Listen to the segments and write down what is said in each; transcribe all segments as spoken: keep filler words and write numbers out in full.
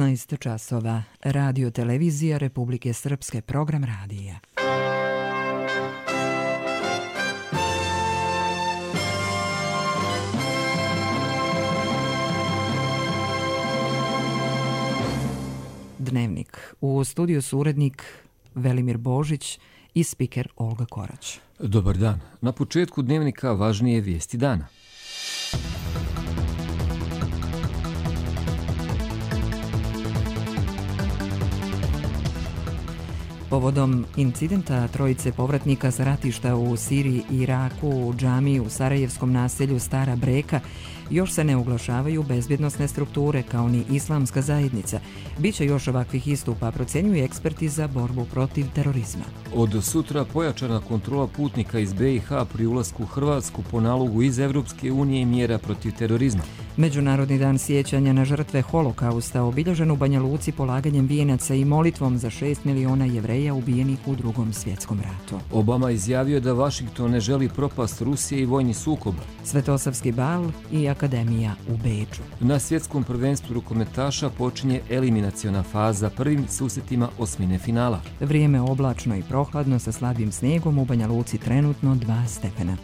devetnaest časova. Radio televizija Republike Srpske, program radija. Dnevnik. U studiju su urednik Velimir Božić i spiker Olga Korać. Dobar dan. Na početku dnevnika važnije vijesti dana. Povodom incidenta trojice povratnika sa ratišta u Siriji i Iraku u džamiji u sarajevskom naselju Stara Breka još se ne oglašavaju bezbjednosne strukture kao ni islamska zajednica. Biće još ovakvih istupa, procjenjuje eksperti za borbu protiv terorizma. Od sutra pojačana kontrola putnika iz B i H pri ulasku u Hrvatsku po nalogu iz Evropske unije i mjera protiv terorizma. Međunarodni dan sjećanja na žrtve holokausta obilježen u Banja Luci polaganjem vijenaca i molitvom za šest miliona Jevreja ubijenih u Drugom svjetskom ratu. Obama izjavio da Vašington ne želi propast Rusije i vojni sukob. Svetosavski bal i akademija u Beču. Na svjetskom prvenstvu rukometaša počinje eliminaciona faza prvim susretima osmine finala. Vrijeme oblačno i prohladno sa slabim snijegom, u Banja Luci trenutno dva stepena.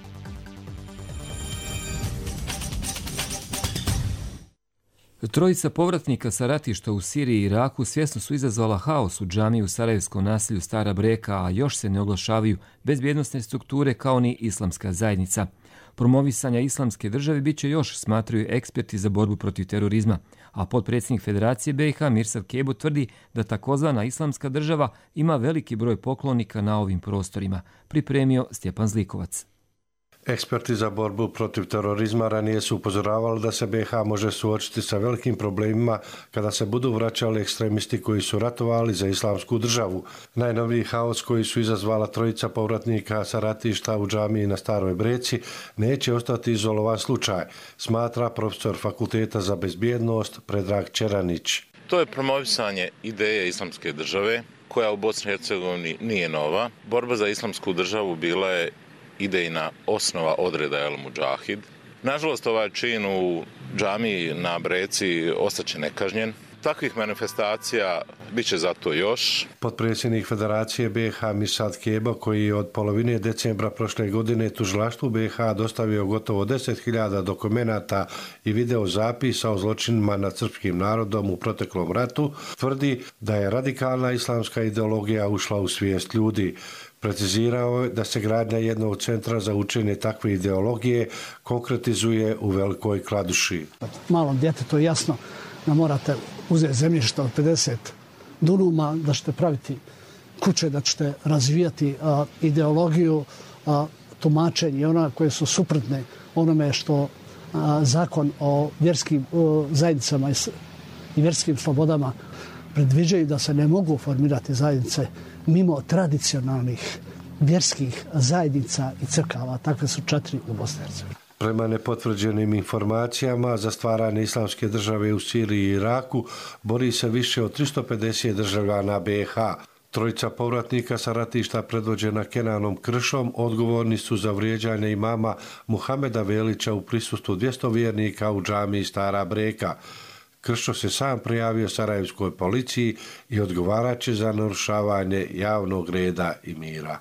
Trojica povratnika sa ratišta u Siriji i Iraku svjesno su izazvala haos u džamiji u sarajevskom naselju Stara Breka, a još se ne oglašavaju bezbjednosne strukture kao ni islamska zajednica. Promovisanja islamske države bit će još, smatraju eksperti za borbu protiv terorizma, a potpredsjednik Federacije B i H Mirsad Kebo tvrdi da takozvana islamska država ima veliki broj poklonika na ovim prostorima, pripremio Stjepan Zlikovac. Eksperti za borbu protiv terorizma ranije su upozoravali da se B i H može suočiti sa velikim problemima kada se budu vraćali ekstremisti koji su ratovali za islamsku državu. Najnoviji haos koji su izazvala trojica povratnika sa ratišta u džamiji na Staroj Breci neće ostati izolovan slučaj, smatra profesor Fakulteta za bezbjednost Predrag Čeranić. To je promovisanje ideje islamske države koja u Bosni i Hercegovini nije nova. Borba za islamsku državu bila je idejna osnova odreda El Mudžahid. Nažalost, ovaj čin u džamiji na Breci ostaće nekažnjen. Takvih manifestacija bit će zato još. Potpredsjednik Federacije B i H Mirsad Kebo, koji je od polovine decembra prošle godine tužilaštvu B i H dostavio gotovo deset hiljada dokumenata i video zapisa o zločinima nad srpskim narodom u proteklom ratu, tvrdi da je radikalna islamska ideologija ušla u svijest ljudi. Precizirao je da se gradnja jednog centra za učenje takve ideologije konkretizuje u Velikoj Kladuši. Malom djetetu je jasno da morate uzeti zemljište od pedeset dunuma, da ćete praviti kuće, da ćete razvijati a, ideologiju, a, tumačenje ona koje su suprotne onome što a, zakon o vjerskim o, zajednicama i, i vjerskim slobodama predviđaju, da se ne mogu formirati zajednice mimo tradicionalnih vjerskih zajednica i crkava. Takve su četiri u Bosni i Hercegovini. Prema nepotvrđenim informacijama, za stvaranje islamske države u Siriji i Iraku bori se više od tristo pedeset državljana B i H. Trojica povratnika sa ratišta predvođena Kenanom Kršom odgovorni su za vrijeđanje imama Muhameda Velića u prisustvu dvjesto vjernika u džamiji Stara Breka. Kršo se sam prijavio sarajevskoj policiji i odgovaraće za narušavanje javnog reda i mira.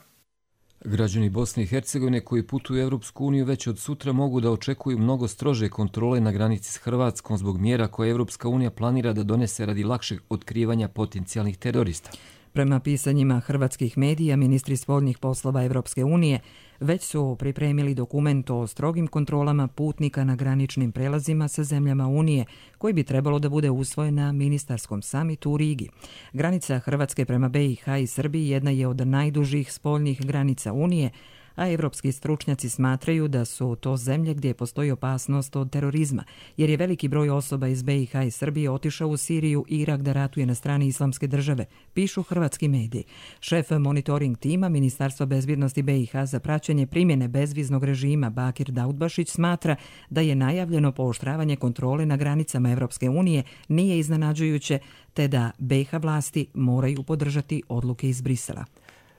Građani Bosne i Hercegovine koji putuju u Evropsku uniju već od sutra mogu da očekuju mnogo strože kontrole na granici s Hrvatskom zbog mjera koje Evropska unija planira da donese radi lakšeg otkrivanja potencijalnih terorista. Prema pisanjima hrvatskih medija, ministri spoljnih poslova Evropske unije već su pripremili dokument o strogim kontrolama putnika na graničnim prelazima sa zemljama Unije, koji bi trebalo da bude usvojen na ministarskom samitu u Rigi. Granica Hrvatske prema B i H i Srbiji jedna je od najdužih spoljnih granica Unije, a evropski stručnjaci smatraju da su to zemlje gdje postoji opasnost od terorizma, jer je veliki broj osoba iz B i H i Srbije otišao u Siriju i Irak da ratuje na strani islamske države, pišu hrvatski mediji. Šef monitoring tima Ministarstva bezbjednosti B i H za praćenje primjene bezviznog režima Bakir Daudbašić smatra da je najavljeno pooštravanje kontrole na granicama Evropske unije nije iznenađujuće, te da B i H vlasti moraju podržati odluke iz Brisela.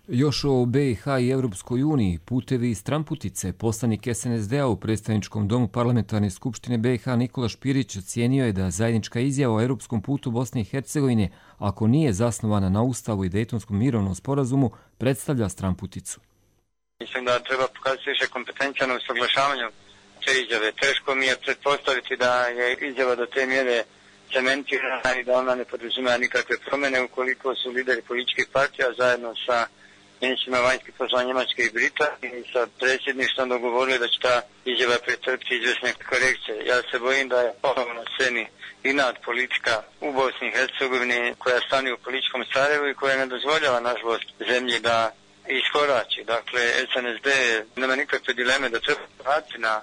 Još o B i H i Europskoj uniji, putevi i stramputice, poslanik S N S D-a u predstavničkom domu Parlamentarne skupštine B i H Nikola Špirić ocijenio je da zajednička izjava o europskom putu Bosne i Hercegovine, ako nije zasnovana na Ustavu i Dejtonskom mirovnom sporazumu, predstavlja stramputicu. Mislim da treba pokazati više kompetencija na usaglašavanju te izjave. Teško mi je pretpostaviti da je izjava do te mjere cementirana i da ona ne podrazumijeva nikakve promjene ukoliko su lideri političkih partija zajedno sa ministrima vanjskih poslova Njemačke i Britanije i sa predsjedništvom dogovorili da će ta izjava pretrpiti izvjesne korekcije. Ja se bojim da je ponovno na sceni inat politika u Bosni i Hercegovini koja stani u političkom Sarajevu i koja ne dozvoljava, nažalost, zemlji da iskorači. Dakle, S N S D nema nikakve dileme da treba vratiti na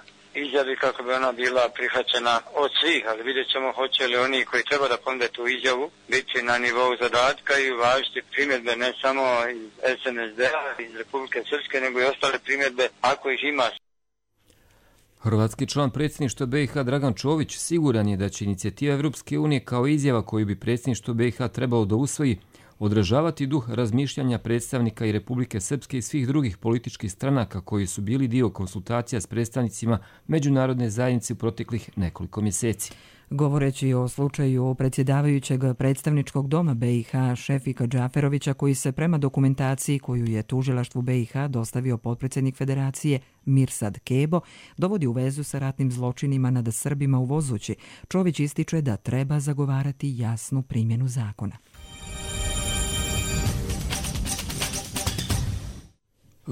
izjavi kako bi ona bila prihvaćena od svih, ali vidjet ćemo hoće li oni koji treba da ponude tu izjavu biti na nivou zadatka i uvažiti primjedbe ne samo iz S N S D-a, iz Republike Srpske, nego i ostale primjedbe ako ih ima. Hrvatski član predsjedništva B i H Dragan Čović siguran je da će inicijativa Europske unije kao izjava koju bi predsjedništvo B i H trebalo da usvoji odražavati duh razmišljanja predstavnika i Republike Srpske i svih drugih političkih stranaka koji su bili dio konsultacija s predstavnicima međunarodne zajednice u proteklih nekoliko mjeseci. Govoreći o slučaju predsjedavajućeg predstavničkog doma B i H Šefika Džaferovića, koji se prema dokumentaciji koju je tužilaštvu B i H dostavio potpredsjednik Federacije Mirsad Kebo, dovodi u vezu sa ratnim zločinima nad Srbima u Vozući, Čović ističe da treba zagovarati jasnu primjenu zakona.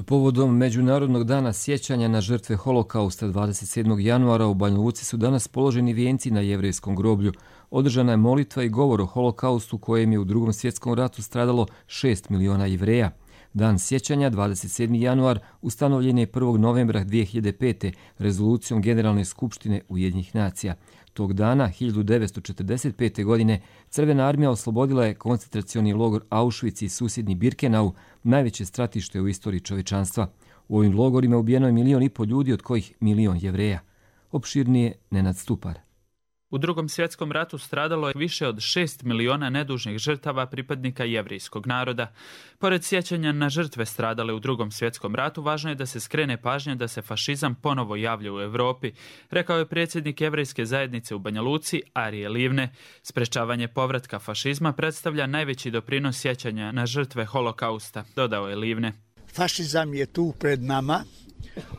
Povodom Međunarodnog dana sjećanja na žrtve Holokausta dvadeset sedmog januara u Banja Luci su danas položeni vijenci na jevrejskom groblju. Održana je molitva i govor o Holokaustu kojem je u Drugom svjetskom ratu stradalo šest miliona Jevreja. Dan sjećanja, dvadeset sedmi januar, ustanovljen je prvog novembra dvije hiljade pete. rezolucijom Generalne skupštine Ujedinjenih nacija. Tog dana, hiljadu devetsto četrdeset pete. godine, Crvena armija oslobodila je koncentracioni logor Auschwitz i susjedni Birkenau, najveće stratište u istoriji čovječanstva. U ovim logorima ubijeno je milion i pol ljudi, od kojih milion Jevreja. Opširnije Nenad Stupar. U Drugom svjetskom ratu stradalo je više od šest miliona nedužnih žrtava pripadnika jevrijskog naroda. Pored sjećanja na žrtve stradale u Drugom svjetskom ratu, važno je da se skrene pažnja da se fašizam ponovo javlja u Europi, rekao je predsjednik jevrejske zajednice u Banja Luci, Arije Livne. Sprečavanje povratka fašizma predstavlja najveći doprinos sjećanja na žrtve Holokausta, dodao je Livne. Fašizam je tu pred nama.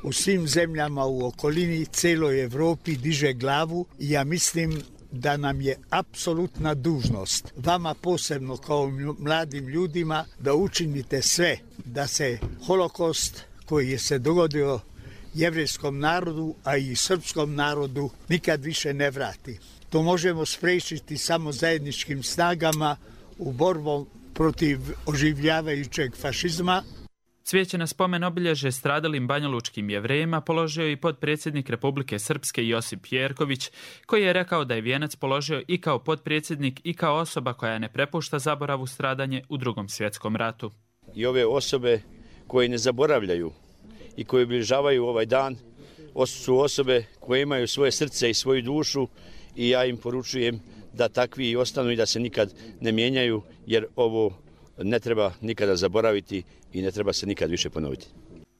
U svim zemljama u okolini, celoj Evropi diže glavu i ja mislim da nam je apsolutna dužnost, vama posebno kao mladim ljudima, da učinite sve da se Holokaust koji je se dogodio jevrejskom narodu, a i srpskom narodu, nikad više ne vrati. To možemo spriječiti samo zajedničkim snagama u borbu protiv oživljavajućeg fašizma. Cvijeće na spomen obilježje stradalim banjalučkim Jevrejima položio i potpredsjednik Republike Srpske Josip Jerković, koji je rekao da je vijenac položio i kao potpredsjednik i kao osoba koja ne prepušta zaboravu stradanje u Drugom svjetskom ratu. I ove osobe koje ne zaboravljaju i koje obilježavaju ovaj dan su osobe koje imaju svoje srce i svoju dušu i ja im poručujem da takvi i ostanu i da se nikad ne mijenjaju, jer ovo ne treba nikada zaboraviti i ne treba se nikad više ponoviti.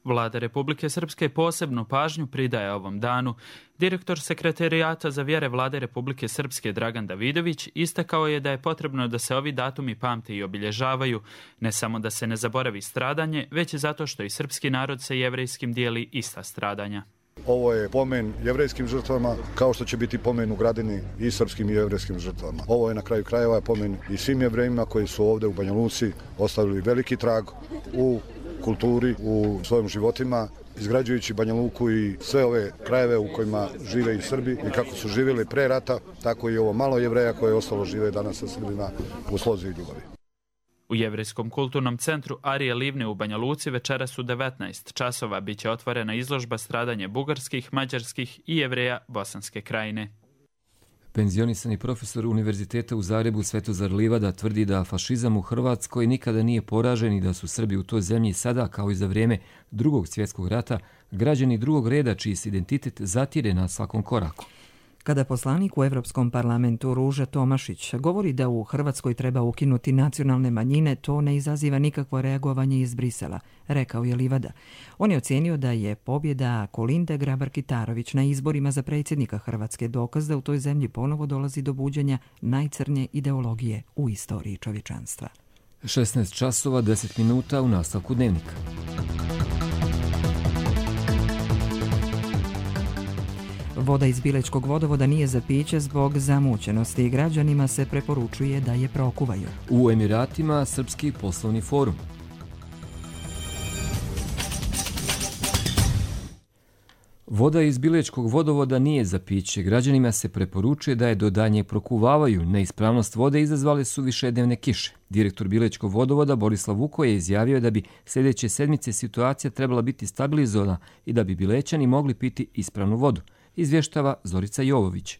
Vlada Republike Srpske posebnu pažnju pridaje ovom danu. Direktor Sekretarijata za vjere Vlade Republike Srpske Dragan Davidović istakao je da je potrebno da se ovi datumi pamte i obilježavaju, ne samo da se ne zaboravi stradanje, već i zato što i srpski narod sa jevrejskim dijeli ista stradanja. Ovo je pomen jevrejskim žrtvama, kao što će biti pomen u Gradini i srpskim i jevrejskim žrtvama. Ovo je na kraju krajeva pomen i svim Jevrejima koji su ovdje u Banja Luci ostavili veliki trag u kulturi, u svojim životima, izgrađujući Banja Luku i sve ove krajeve u kojima žive i Srbi i kako su živjeli pre rata, tako i ovo malo Jevreja koje je ostalo žive danas sa Srbima u slozi i ljubavi. U Jevrejskom kulturnom centru Arije Livne u Banja Luci večeras u devetnaest časova biće otvorena izložba stradanje bugarskih, mađarskih i Jevreja Bosanske krajine. Penzionisani profesor Univerziteta u Zagrebu Svetozar Livada tvrdi da fašizam u Hrvatskoj nikada nije poražen i da su Srbi u toj zemlji sada, kao i za vrijeme Drugog svjetskog rata, građani drugog reda čiji se identitet zatire na svakom koraku. Kada poslanik u Europskom parlamentu Ruža Tomašić govori da u Hrvatskoj treba ukinuti nacionalne manjine, to ne izaziva nikakvo reagovanje iz Brisela, rekao je Livada. On je ocijenio da je pobjeda Kolinde Grabar-Kitarović na izborima za predsjednika Hrvatske dokaz da u toj zemlji ponovo dolazi do buđenja najcrnje ideologije u istoriji čovječanstva. šesnaest časova deset minuta u nastavku dnevnika. Voda iz Bilečkog vodovoda nije za piće zbog zamućenosti i građanima se preporučuje da je prokuvaju. U Emiratima Srpski poslovni forum. Voda iz Bilečkog vodovoda nije za piće. Građanima se preporučuje da je do daljnjeg prokuvavaju. Neispravnost vode izazvale su višednevne kiše. Direktor Bilečkog vodovoda Borislav Vuko je izjavio da bi sljedeće sedmice situacija trebala biti stabilizovana i da bi Bilećani mogli piti ispravnu vodu. Izvještava Zorica Jovović.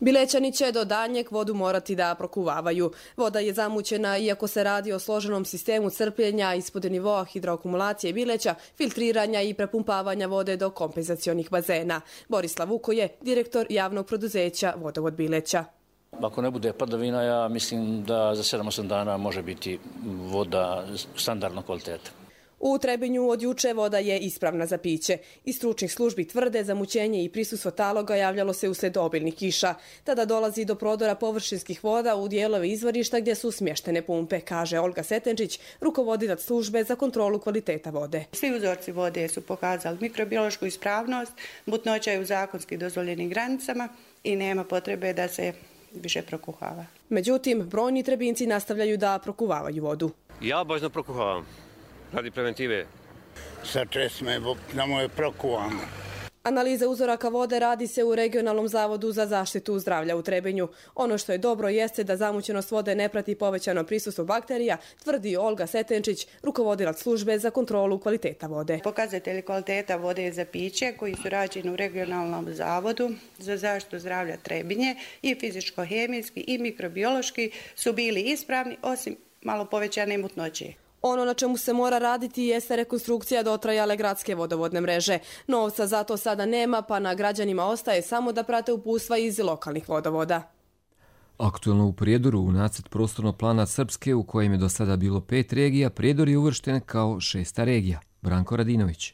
Bilećani će do daljnjeg vodu morati da prokuvavaju. Voda je zamućena iako se radi o složenom sistemu crpljenja ispod nivoa hidroakumulacije Bileća, filtriranja i prepumpavanja vode do kompenzacionih bazena. Borislav Vuko je direktor javnog preduzeća Vodovod Bileća. Ako ne bude padavina, ja mislim da za sedam osam dana može biti voda standardnog kvaliteta. U Trebinju od juče voda je ispravna za piće. Iz stručnih službi tvrde zamućenje i prisustvo taloga javljalo se usled obilnih kiša. Tada dolazi do prodora površinskih voda u dijelove izvorišta gdje su smještene pumpe, kaže Olga Setenčić, rukovodilac službe za kontrolu kvaliteta vode. Svi uzorci vode su pokazali mikrobiološku ispravnost, mutnoća je u zakonski dozvoljenim granicama i nema potrebe da se više prokuhava. Međutim, brojni Trebinci nastavljaju da prokuvavaju vodu. Ja obavezno prokuhavam. Radi preventive. Sa česme, da mu je prokuvano. Analiza uzoraka vode radi se u Regionalnom zavodu za zaštitu zdravlja u Trebinju. Ono što je dobro jeste da zamućenost vode ne prati povećano prisustvo bakterija, tvrdi Olga Setenčić, rukovodilac službe za kontrolu kvaliteta vode. Pokazatelji kvaliteta vode za piće koji su rađeni u Regionalnom zavodu za zaštitu zdravlja Trebinje i fizičko-hemijski i mikrobiološki su bili ispravni osim malo povećane mutnoće. Ono na čemu se mora raditi jeste rekonstrukcija dotrajale gradske vodovodne mreže. Novca za to sada nema, pa na građanima ostaje samo da prate uputstva iz lokalnih vodovoda. Aktuelno u Prijedoru u nacrt prostornog plana Srpske, u kojem je do sada bilo pet regija, Prijedor je uvršten kao šesta regija. Branko Radinović.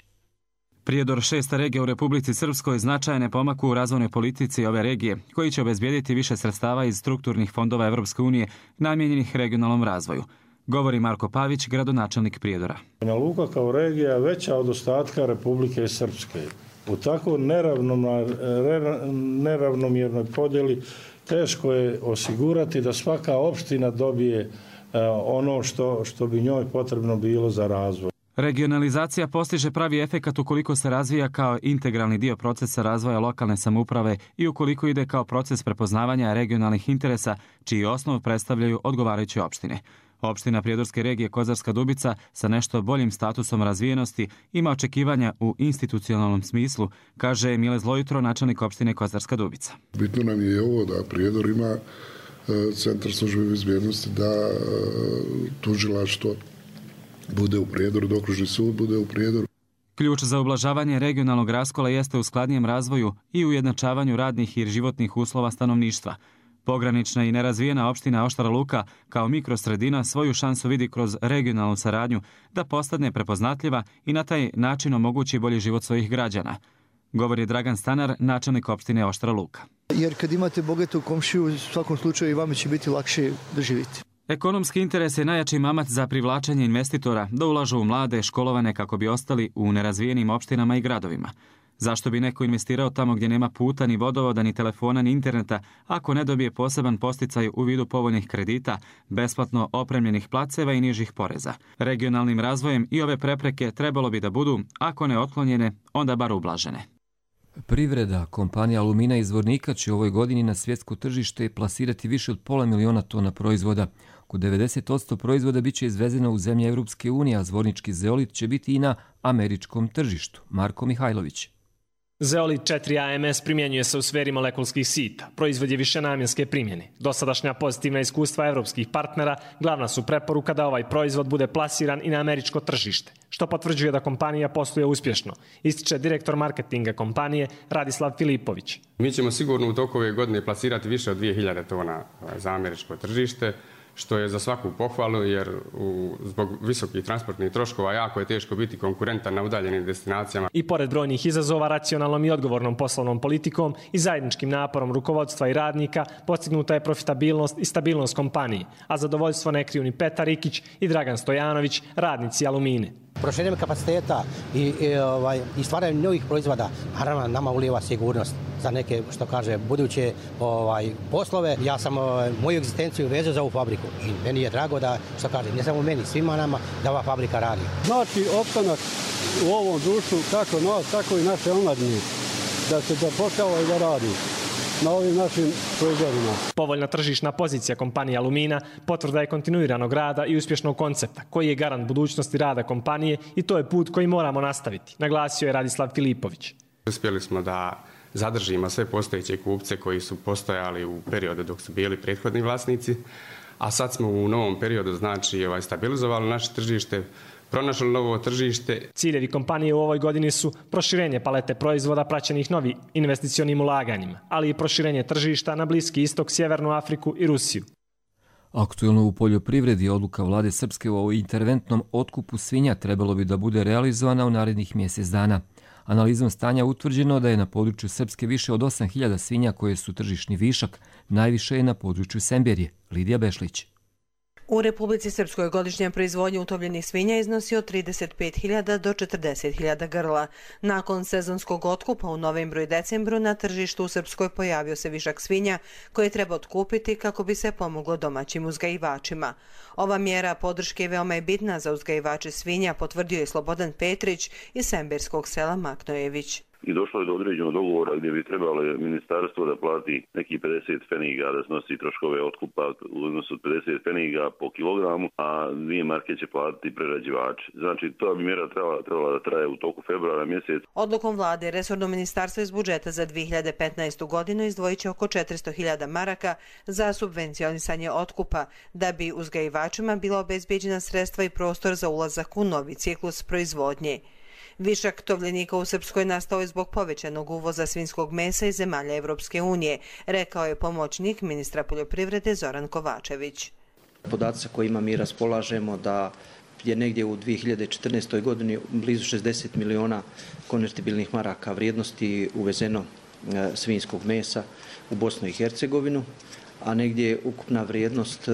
Prijedor, šesta regija u Republici Srpskoj, značajan je pomak u razvojnoj politici ove regije, koji će obezbijediti više sredstava iz strukturnih fondova Evropske unije namijenjenih regionalnom razvoju. Govori Marko Pavić, gradonačelnik Prijedora. Banja Luka kao regija je veća od ostatka Republike Srpske. U tako neravnomjernoj podjeli teško je osigurati da svaka opština dobije ono što, što bi njoj potrebno bilo za razvoj. Regionalizacija postiže pravi efekat ukoliko se razvija kao integralni dio procesa razvoja lokalne samouprave i ukoliko ide kao proces prepoznavanja regionalnih interesa, čiji osnov predstavljaju odgovarajuće opštine. Opština Prijedorske regije Kozarska Dubica sa nešto boljim statusom razvijenosti ima očekivanja u institucionalnom smislu, kaže Mile Zlojutro, načelnik opštine Kozarska Dubica. Bitno nam je i ovo da Prijedor ima centar službe bezbjednosti, da tužilaštvo bude u Prijedoru, da okružni sud bude u Prijedoru. Ključ za ublažavanje regionalnog raskola jeste u skladnijem razvoju i ujednačavanju radnih i životnih uslova stanovništva. Pogranična i nerazvijena opština Oštara Luka kao mikrosredina svoju šansu vidi kroz regionalnu saradnju da postane prepoznatljiva i na taj način omogući bolji život svojih građana. Govori Dragan Stanar, načelnik opštine Oštara Luka. Jer kad imate bogatu komšiju, u svakom slučaju i vama će biti lakše da živite. Ekonomski interes je najjači mamac za privlačenje investitora da ulažu u mlade, školovane kako bi ostali u nerazvijenim opštinama i gradovima. Zašto bi neko investirao tamo gdje nema puta, ni vodovoda, ni telefona, ni interneta, ako ne dobije poseban posticaj u vidu povoljnih kredita, besplatno opremljenih placeva i nižih poreza? Regionalnim razvojem i ove prepreke trebalo bi da budu, ako ne otklonjene, onda bar ublažene. Privreda, kompanija Alumina iz Zvornika će u ovoj godini na svjetsko tržište plasirati više od pola miliona tona proizvoda. Oko devedeset posto proizvoda biće izvezeno u zemlje Evropske unije, a zvornički zeolit će biti i na američkom tržištu. Marko Mihajlović. Zeolit četiri A M S primjenjuje se u sferi molekulskih sita. Proizvod je višenamjenske primjene. Dosadašnja pozitivna iskustva evropskih partnera glavna su preporuka da ovaj proizvod bude plasiran i na američko tržište, što potvrđuje da kompanija posluje uspješno, ističe direktor marketinga kompanije Radislav Filipović. Mi ćemo sigurno u toku ove godine plasirati više od dvije hiljade tona za američko tržište, što je za svaku pohvalu jer u, zbog visokih transportnih troškova jako je teško biti konkurentan na udaljenim destinacijama. I pored brojnih izazova, racionalnom i odgovornom poslovnom politikom i zajedničkim naporom rukovodstva i radnika postignuta je profitabilnost i stabilnost kompanije, a zadovoljstvo ne kriju ni Petar Ikić i Dragan Stojanović, radnici Alumine. Proširenjem kapaciteta i, i, ovaj, i stvaranjem novih proizvoda, naravno nama ulijeva sigurnost za neke, što kaže, buduće ovaj, poslove. Ja sam ovaj, moju egzistenciju vezao za ovu fabriku i meni je drago da, što kaže, ne samo meni, svima nama, da ova fabrika radi. Znači, opstanak u ovom društvu, kako nas, tako i naše omladine, da se zapošljava i da radi na ovim našim proizvodima. Povoljna tržišna pozicija kompanije Alumina potvrda je kontinuiranog rada i uspješnog koncepta, koji je garant budućnosti rada kompanije i to je put koji moramo nastaviti, naglasio je Radislav Filipović. Uspjeli smo da zadržimo sve postojeće kupce koji su postojali u periodu dok su bili prethodni vlasnici, a sad smo u novom periodu znači ovaj, stabilizovali naše tržište, pronašli novo tržište. Ciljevi kompanije u ovoj godini su proširenje palete proizvoda praćenih novim investicionim ulaganjima, ali i proširenje tržišta na Bliski istok, Sjevernu Afriku i Rusiju. Aktuelno u poljoprivredi odluka vlade Srpske o interventnom otkupu svinja trebalo bi da bude realizovana u narednih mjesec dana. Analizom stanja utvrđeno da je na području Srpske više od osam hiljada svinja koje su tržišni višak, najviše je na području Semberije. Lidija Bešlić. U Republici Srpskoj godišnja proizvodnja utovljenih svinja iznosi od trideset pet hiljada do četrdeset hiljada grla. Nakon sezonskog otkupa u novembru i decembru na tržištu u Srpskoj pojavio se višak svinja koje treba otkupiti kako bi se pomoglo domaćim uzgajivačima. Ova mjera podrške veoma je bitna za uzgajivače svinja, potvrdio je Slobodan Petrić iz semberskog sela Maknojević. I došlo je do određenog dogovora gdje bi trebalo ministarstvo da plati neki pedeset pfeniga, da snosi troškove otkupa u odnosu od pedeset pfeniga po kilogramu, a dvije marke će platiti prerađivači. Znači, to bi mjera trebala, trebala da traje u toku februara mjesec. Odlukom vlade, resorno ministarstvo iz budžeta za dvije hiljade petnaestu godinu izdvojit će oko četiristo hiljada maraka za subvencionisanje otkupa, da bi uzgajivačima bila obezbeđena sredstva i prostor za ulazak u novi ciklus proizvodnje. Višak tovljenika u Srpskoj nastao je zbog povećanog uvoza svinjskog mesa iz zemalja Evropske unije, rekao je pomoćnik ministra poljoprivrede Zoran Kovačević. Podaci sa kojima mi raspolažemo da je negdje u dvije hiljade četrnaestoj godini blizu šezdeset miliona konvertibilnih maraka vrijednosti uvezeno svinjskog mesa u Bosnu i Hercegovinu, a negdje ukupna vrijednost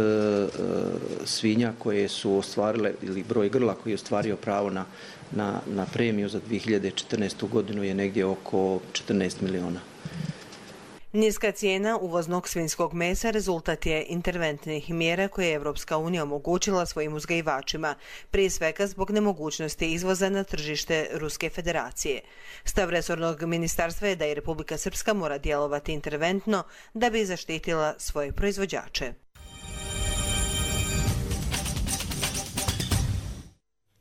svinja koje su ostvarile ili broj grla koji je ostvario pravo na, na, na premiju za dvije hiljade četrnaestu godinu je negdje oko četrnaest miliona. Niska cijena uvoznog svinjskog mesa rezultat je interventnih mjera koje je Evropska unija omogućila svojim uzgajivačima, prije svega zbog nemogućnosti izvoza na tržište Ruske federacije. Stav resornog ministarstva je da i Republika Srpska mora djelovati interventno da bi zaštitila svoje proizvođače.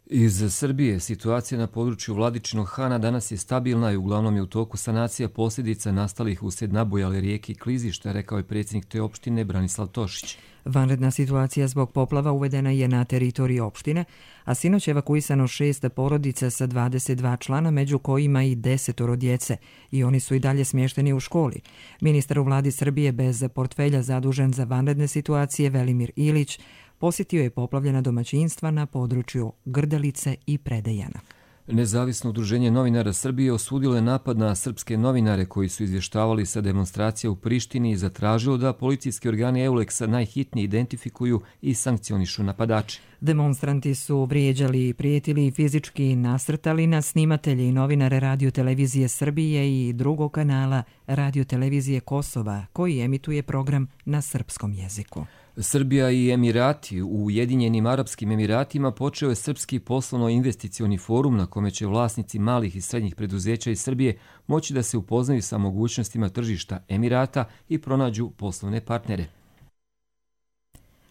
Iz Srbije situacija na području Vladičinog Hana danas je stabilna i uglavnom je u toku sanacija posljedica nastalih uslijed nabujale rijeke i klizišta, rekao je predsjednik te opštine Branislav Tošić. Vanredna situacija zbog poplava uvedena je na teritoriji opštine, a sinoć evakuisano šest porodica sa dvadeset dva člana, među kojima i desetoro djece, i oni su i dalje smješteni u školi. Ministar u vladi Srbije bez portfelja zadužen za vanredne situacije Velimir Ilić posjetio je poplavljena domaćinstva na području Grdelice i Predejana. Nezavisno udruženje novinara Srbije osudilo je napad na srpske novinare koji su izvještavali sa demonstracija u Prištini i zatražilo da policijski organi Euleksa najhitnije identifikuju i sankcionišu napadače. Demonstranti su vrijeđali, prijetili i fizički nasrtali na snimatelje i novinare Radio-televizije Srbije i drugog kanala Radio-televizije Kosova, koji emituje program na srpskom jeziku. Srbija i Emirati. U Ujedinjenim Arapskim Emiratima počeo je Srpski poslovno-investicioni forum na kome će vlasnici malih i srednjih preduzeća iz Srbije moći da se upoznaju sa mogućnostima tržišta Emirata i pronađu poslovne partnere.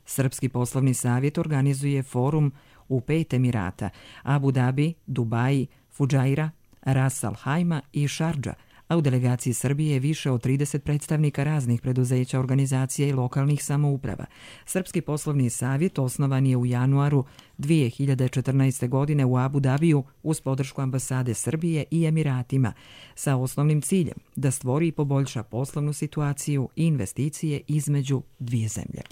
Srpski poslovni savjet organizuje forum u pet Emirata: Abu Dhabi, Dubai, Fudžaira, Ras Al Khaimah i Šardža, a u delegaciji Srbije je više od trideset predstavnika raznih preduzeća, organizacija i lokalnih samouprava. Srpski poslovni savjet osnovan je u januaru dvije hiljade četrnaeste. godine u Abu Dabiju uz podršku ambasade Srbije i Emiratima sa osnovnim ciljem da stvori i poboljša poslovnu situaciju i investicije između dvije zemlje.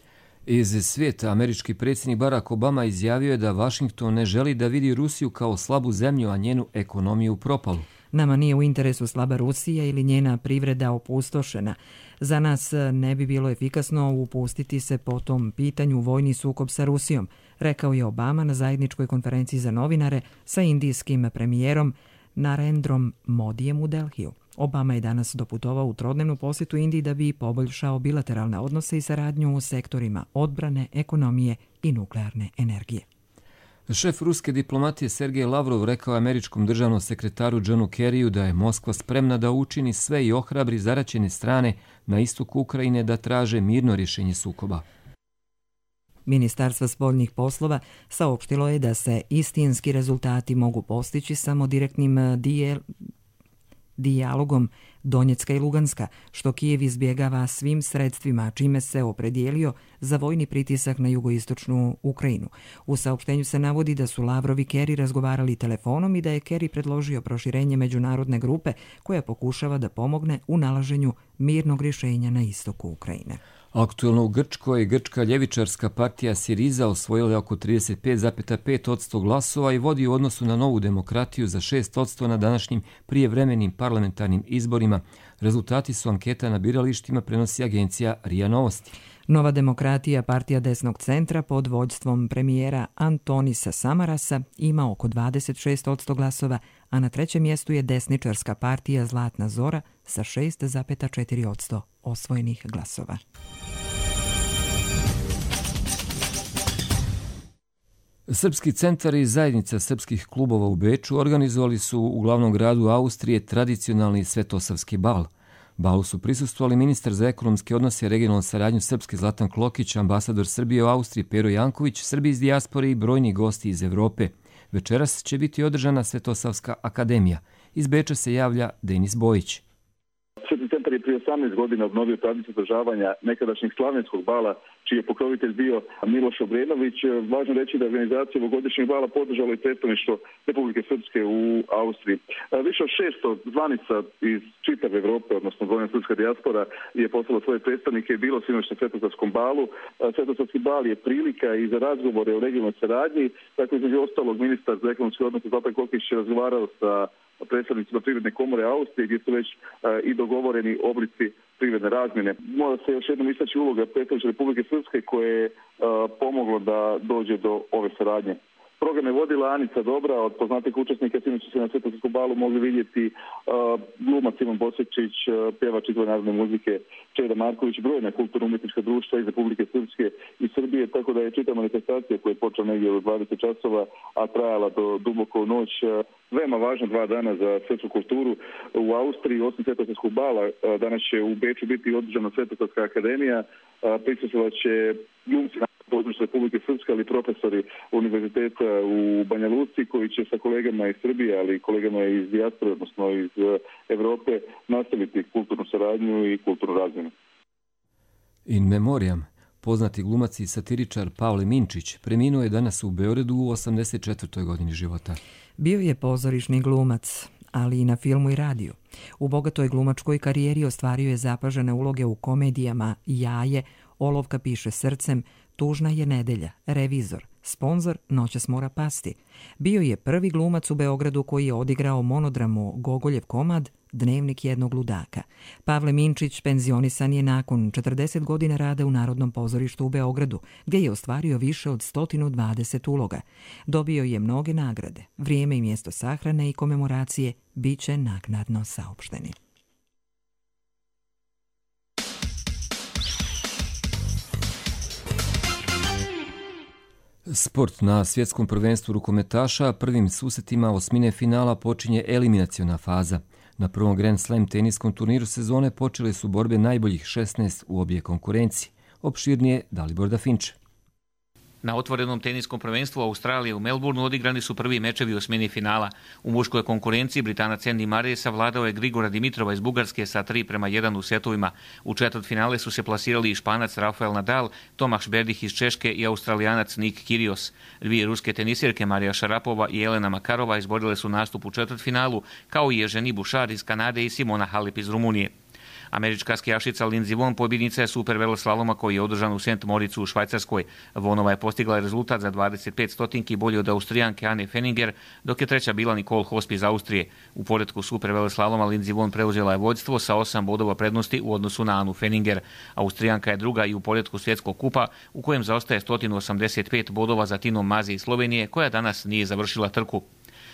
Iz svijeta američki predsjednik Barack Obama izjavio je da Washington ne želi da vidi Rusiju kao slabu zemlju, a njenu ekonomiju propalu. Nama nije u interesu slaba Rusija ili njena privreda opustošena. Za nas ne bi bilo efikasno upustiti se po tom pitanju vojni sukob sa Rusijom, rekao je Obama na zajedničkoj konferenciji za novinare sa indijskim premijerom Narendrom Modijem u Delhiju. Obama je danas doputovao u trodnevnu posjetu Indiji da bi poboljšao bilateralne odnose i saradnju u sektorima odbrane, ekonomije i nuklearne energije. Šef ruske diplomatije Sergej Lavrov rekao američkom državnom sekretaru Johnu Kerryu da je Moskva spremna da učini sve i ohrabri zaraćene strane na istoku Ukrajine da traže mirno rješenje sukoba. Ministarstvo spoljnih poslova saopštilo je da se istinski rezultati mogu postići samo direktnim dijel... dijalogom Donjecka i Luganska, što Kijev izbjegava svim sredstvima, čime se opredijelio za vojni pritisak na jugoistočnu Ukrajinu. U saopštenju se navodi da su Lavrov i Kerry razgovarali telefonom i da je Kerry predložio proširenje međunarodne grupe koja pokušava da pomogne u nalaženju mirnog rješenja na istoku Ukrajine. Aktuelno u Grčkoj, grčka ljevičarska partija Siriza osvojila je oko trideset pet zarez pet posto glasova i vodi u odnosu na Novu demokratiju za šest posto na današnjim prijevremenim parlamentarnim izborima. Rezultati su anketa na biralištima, prenosi agencija R I A Novosti. Nova demokratija, partija desnog centra pod vođstvom premijera Antonisa Samarasa, ima oko dvadeset šest posto glasova, a na trećem mjestu je desničarska partija Zlatna Zora sa šest zarez četiri posto osvojenih glasova. Srpski centar i zajednica srpskih klubova u Beču organizovali su u glavnom gradu Austrije tradicionalni svetosavski bal. Balu su prisustvovali ministar za ekonomske odnose i regionalnu saradnju Srpske Zlatan Klokić, ambasador Srbije u Austriji Pero Janković, Srbi iz dijaspore i brojni gosti iz Evrope. Večeras će biti održana Svetosavska akademija. Iz Beča se javlja Denis Bojić. Srpski centar je prije osamnaest godina obnovio tradiciju održavanja nekadašnjeg slavenskog bala, čiji je pokrovitelj bio Miloš Obrenović. Važno reći da je organizacija ovogodišnjeg bala podržalo i predstavništvo Republike Srpske u Austriji. Više od šesto zvanica iz čitave Evrope, odnosno brojna srpska dijaspora, je poslala svoje predstavnike i bilo sinoć na Svetosavskom balu. Svetosavski bal je prilika i za razgovore o regionalnoj saradnji. Tako između ostalog ministar za ekonomske odnose Zlatan Klokić je razgovarao sa predstavnicima Privredne komore Austrije, gdje su već uh, i dogovoreni oblici privredne razmjene. Mora se još jednom istaći uloga predstavništva Republike Srpske koje je uh, pomoglo da dođe do ove saradnje. Program je vodila Anica Dobra, od poznatih učesnika sinoć se na Svetosavskom balu mogli vidjeti uh, glumac Ivan Bosječić, uh, pjevač izvan narodne muzike Čeda Marković, brojna kulturno-umjetnička društva iz Republike Srpske i Srbije, tako da je čita manifestacija koja je počela negdje u dvadeset časova, a trajala do duboko u noć. Uh, veoma važna dva dana za svjetsku kulturu u Austriji. Osim Svetosavskog bala, uh, danas će u Beču biti održana Svetosavska akademija, uh, prisustvovat će glumci na području Republike Srpske, ali profesori univerziteta u Banja Luci koji će sa kolegama iz Srbije, ali i kolegama iz dijaspore, odnosno iz Evrope, nastaviti kulturnu saradnju i kulturnu razmjenu. In memoriam, poznati glumac i satiričar Pavle Minčić preminuo je danas u Beogradu u osamdeset četvrtoj godini života. Bio je pozorišni glumac, ali i na filmu i radiju. U bogatoj glumačkoj karijeri ostvario je zapažene uloge u komedijama Jaje, Olovka piše srcem, Tužna je nedelja, Revizor, Sponzor, Noćas mora pasti. Bio je prvi glumac u Beogradu koji je odigrao monodramu Gogoljev komad Dnevnik jednog ludaka. Pavle Minčić penzionisan je nakon četrdeset godina rada u Narodnom pozorištu u Beogradu, gdje je ostvario više od sto dvadeset uloga. Dobio je mnoge nagrade. Vrijeme i mjesto sahrane i komemoracije bit će naknadno saopšteni. Sport. Na svjetskom prvenstvu rukometaša prvim susretima osmine finala počinje eliminaciona faza. Na prvom Grand Slam teniskom turniru sezone počele su borbe najboljih šesnaest u obje konkurenciji. Opširnije Dalibor Dafinče. Na otvorenom teniskom prvenstvu Australije u Melbourneu odigrani su prvi mečevi u osmini finala. U muškoj konkurenciji Britanac Andy Murray savladao je Grigora Dimitrova iz Bugarske sa tri prema jedan u setovima. U četvrtfinale su se plasirali i Španac Rafael Nadal, Tomaš Berdych iz Češke i Australijanac Nick Kyrgios. Dvije ruske tenisirke Marija Šarapova i Elena Makarova izborile su nastup u četvrtfinalu, kao i Eugenie Bouchard iz Kanade i Simona Halep iz Rumunije. Američka skijašica Lindsey Vonn pobjednica je super veloslaloma koji je održan u Saint Moricu u Švajcarskoj. Vonova je postigla rezultat za dvadeset pet stotinki bolji od Austrijanke Anne Fenninger, dok je treća bila Nicole Hosp iz Austrije. U poretku super veloslaloma Lindsey Vonn preuzela je vođstvo sa osam bodova prednosti u odnosu na Anu Fenninger. Austrijanka je druga i u poretku svjetskog kupa, u kojem zaostaje sto osamdeset pet bodova za Tinom Mazi iz Slovenije, koja danas nije završila trku.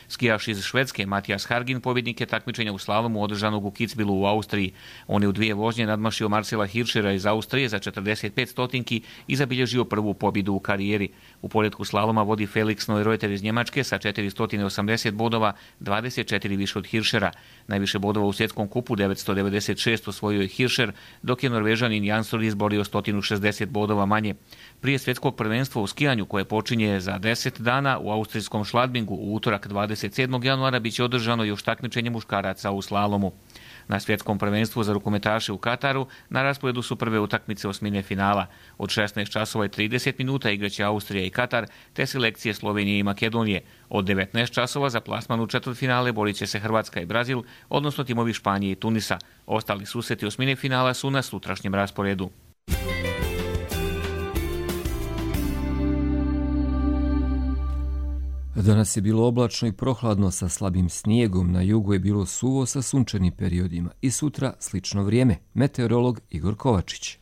Skijaš iz Švedske Matijas Hargin pobjednik je takmičenja u slalomu održanog u Kitzbühelu u Austriji. On je u dvije vožnje nadmašio Marcela Hirschera iz Austrije za četrdeset pet stotinki i zabilježio prvu pobjedu u karijeri. U poretku slaloma vodi Felix Neureuter iz Njemačke sa četiristo osamdeset bodova, dvadeset četiri više od Hirschera. Najviše bodova u svjetskom kupu devetsto devedeset šest osvojio je Hirscher, dok je Norvežanin Jansson izborio sto šezdeset bodova manje. Prije svjetskog prvenstva u skijanju koje počinje za deset dana u austrijskom Schladmingu u utorak dvadeset sedmog januara biće održano još takmičenje muškaraca u slalomu. Na svjetskom prvenstvu za rukometaše u Kataru na rasporedu su prve utakmice osmine finala. Od šesnaest časova i trideset minuta igraće Austrija i Katar, te selekcije Slovenije i Makedonije. Od devetnaest časova za plasman u četvrtfinale borit će se Hrvatska i Brazil, odnosno timovi Španije i Tunisa. Ostali susreti osmine finala su na sutrašnjem rasporedu. Danas je bilo oblačno i prohladno sa slabim snijegom, na jugu je bilo suvo sa sunčanim periodima i sutra slično vrijeme. Meteorolog Igor Kovačić.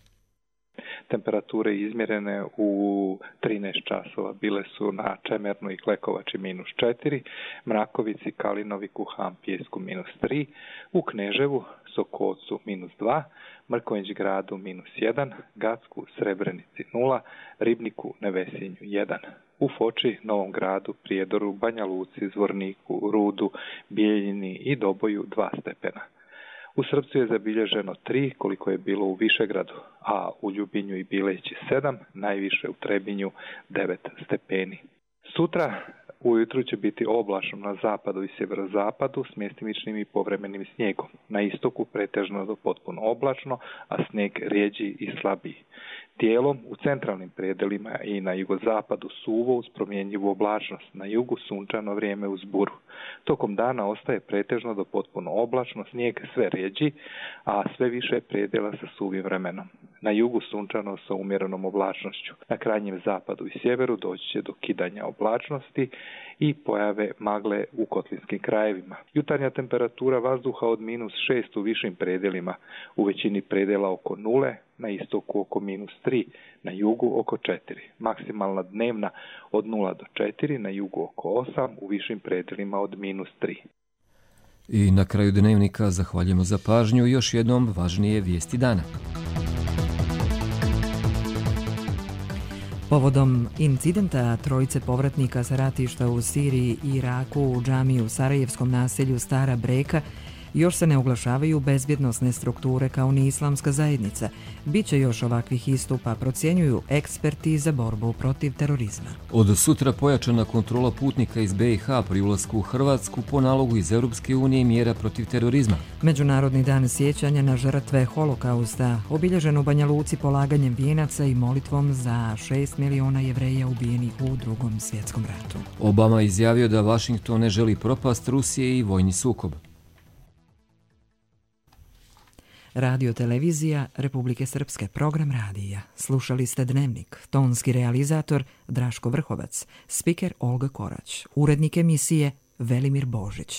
Temperature izmjerene u trinaest časova bile su na Čemernu i Klekovači minus četiri, Mrakovici, Kalinovi, Kuham, Pijesku minus tri, u Kneževu, Sokolcu minus dva, Mrkonjić Gradu minus jedan, Gacku, Srebrenici nula, Ribniku, Nevesinju jedan. U Foči, Novom Gradu, Prijedoru, Banja Luci, Zvorniku, Rudu, Bijeljini i Doboju dva stepena. U Srpcu je zabilježeno tri, koliko je bilo u Višegradu, a u Ljubinju i Bileći sedam, najviše u Trebinju devet stepeni. Sutra ujutru će biti oblačno na zapadu i sjeverozapadu s mjestimičnim i povremenim snijegom. Na istoku pretežno do potpuno oblačno, a snijeg rijeđi i slabiji. Dijelom u centralnim predelima i na jugozapadu suvo uz promjenjivu oblačnost, na jugu sunčano vrijeme uz buru. Tokom dana ostaje pretežno do potpuno oblačno, snijeg sve rijeđi, a sve više predjela sa suvim vremenom. Na jugu sunčano sa umjerenom oblačnošću. Na krajnjem zapadu i sjeveru doći će do kidanja oblačnosti i pojave magle u kotlinskim krajevima. Jutarnja temperatura vazduha od minus šest u višim predjelima, u većini predjela oko nule, na istoku oko minus tri, na jugu oko četiri. Maksimalna dnevna od nula do četiri, na jugu oko osam, u višim predjelima od minus tri. I na kraju dnevnika zahvaljujemo za pažnju i još jednom važnije vijesti dana. Povodom incidenta trojice povratnika sa ratišta u Siriji i Iraku u džamiji u sarajevskom naselju Stara Breka još se ne oglašavaju bezbjednosne strukture kao ni islamska zajednica. Biće još ovakvih istupa, procjenjuju eksperti za borbu protiv terorizma. Od sutra pojačana kontrola putnika iz B i H pri ulasku u Hrvatsku po nalogu iz Europske unije i mjera protiv terorizma. Međunarodni dan sjećanja na žrtve holokausta obilježen u Banja Luci polaganjem vijenaca i molitvom za šest miliona Jevreja ubijenih u Drugom svjetskom ratu. Obama izjavio da Washington ne želi propast Rusije i vojni sukob. Radio televizija Republike Srpske, program radija. Slušali ste Dnevnik, tonski realizator Draško Vrhovac, spiker Olga Korać, urednik emisije Velimir Božić.